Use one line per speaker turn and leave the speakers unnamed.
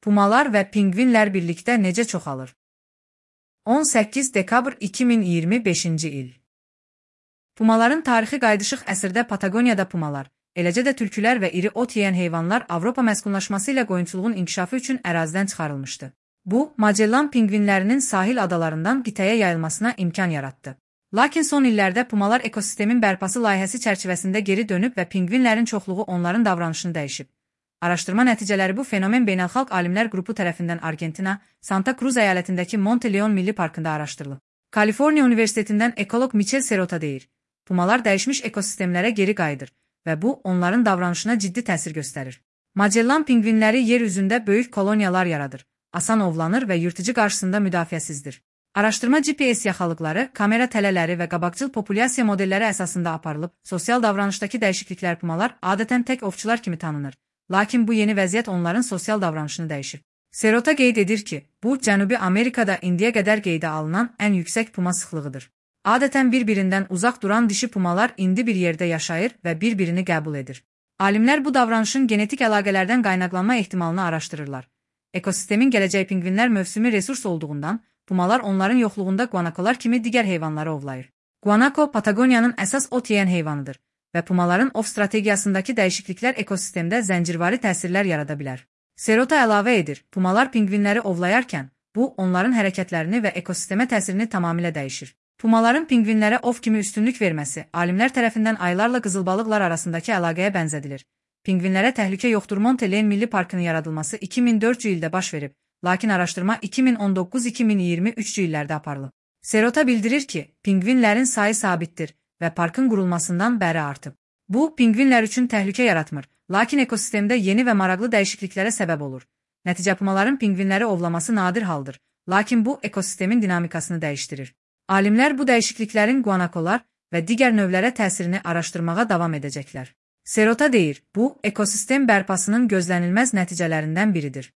Pumalar və pinqvinlər birlikdə necə çoxalır? 18 dekabr 2025-ci il. Pumaların tarixi qaydışıq əsrdə Patagoniyada pumalar, eləcə də tülkülər və iri ot yeyən heyvanlar Avropa məskunlaşması ilə qoyunçuluğun inkişafı üçün ərazidən çıxarılmışdı. Bu, Magellan pinqvinlərinin sahil adalarından qitəyə yayılmasına imkan yaratdı. Lakin son illərdə pumalar ekosistemin bərpası layihəsi çərçivəsində geri dönüb və pinqvinlərin çoxluğu onların davranışını dəyişib. Araşdırma nəticələri bu fenomen beynəlxalq alimlər qrupu tərəfindən Argentina, Santa Cruz əyalətindəki Monte Leon Milli Parkında araşdırılıb. Kaliforniya Universitetindən ekoloq Michel Serota deyir, pumalar dəyişmiş ekosistemlərə geri qayıdır və bu, onların davranışına ciddi təsir göstərir. Magellan pinqvinləri yer üzündə böyük koloniyalar yaradır, asan ovlanır və yırtıcı qarşısında müdafiəsizdir. Araşdırma GPS yaxalıqları, kamera tələləri və qabaqcıl populyasiya modelləri əsasında aparılıb, sosial davranışdakı dəyişikliklər pumalar adətən tək ovçular kimi tanınır. Lakin bu yeni vəziyyət onların sosial davranışını dəyişir. Serota qeyd edir ki, bu, Cənubi Amerikada indiyə qədər qeydə alınan ən yüksək puma sıxlığıdır. Adətən bir-birindən uzaq duran dişi pumalar indi bir yerdə yaşayır və bir-birini qəbul edir. Alimlər bu davranışın genetik əlaqələrdən qaynaqlanma ehtimalını araşdırırlar. Ekosistemin gələcək pinqvinlər mövsümi resurs olduğundan, pumalar onların yoxluğunda guanakolar kimi digər heyvanları ovlayır. Guanako, Patagoniyanın əsas ot yeyən heyvanıdır və pumaların ov strategiyasındakı dəyişikliklər ekosistemdə zəncirvari təsirlər yarada bilər. Serota əlavə edir, pumalar pinqvinləri ovlayarkən, bu, onların hərəkətlərini və ekosistemə təsirini tamamilə dəyişir. Pumaların pinqvinlərə ov kimi üstünlük verməsi, alimlər tərəfindən aylarla qızılbalıqlar arasındakı əlaqəyə bənzədilir. Pinqvinlərə təhlükə yoxdur Monte Leon Milli Parkının yaradılması 2004-cü ildə baş verib, lakin araşdırma 2019-2023-cü illərdə aparılıb. Serota bildirir ki, pinqvinlərin sayı sabitdir və parkın qurulmasından bəri artıb. Bu, pinqvinlər üçün təhlükə yaratmır, lakin ekosistemdə yeni və maraqlı dəyişikliklərə səbəb olur. Nəticə pumaların pinqvinləri ovlaması nadir haldır, lakin bu, ekosistemin dinamikasını dəyişdirir. Alimlər bu dəyişikliklərin guanakolar və digər növlərə təsirini araşdırmağa davam edəcəklər. Serota deyir, bu, ekosistem bərpasının gözlənilməz nəticələrindən biridir.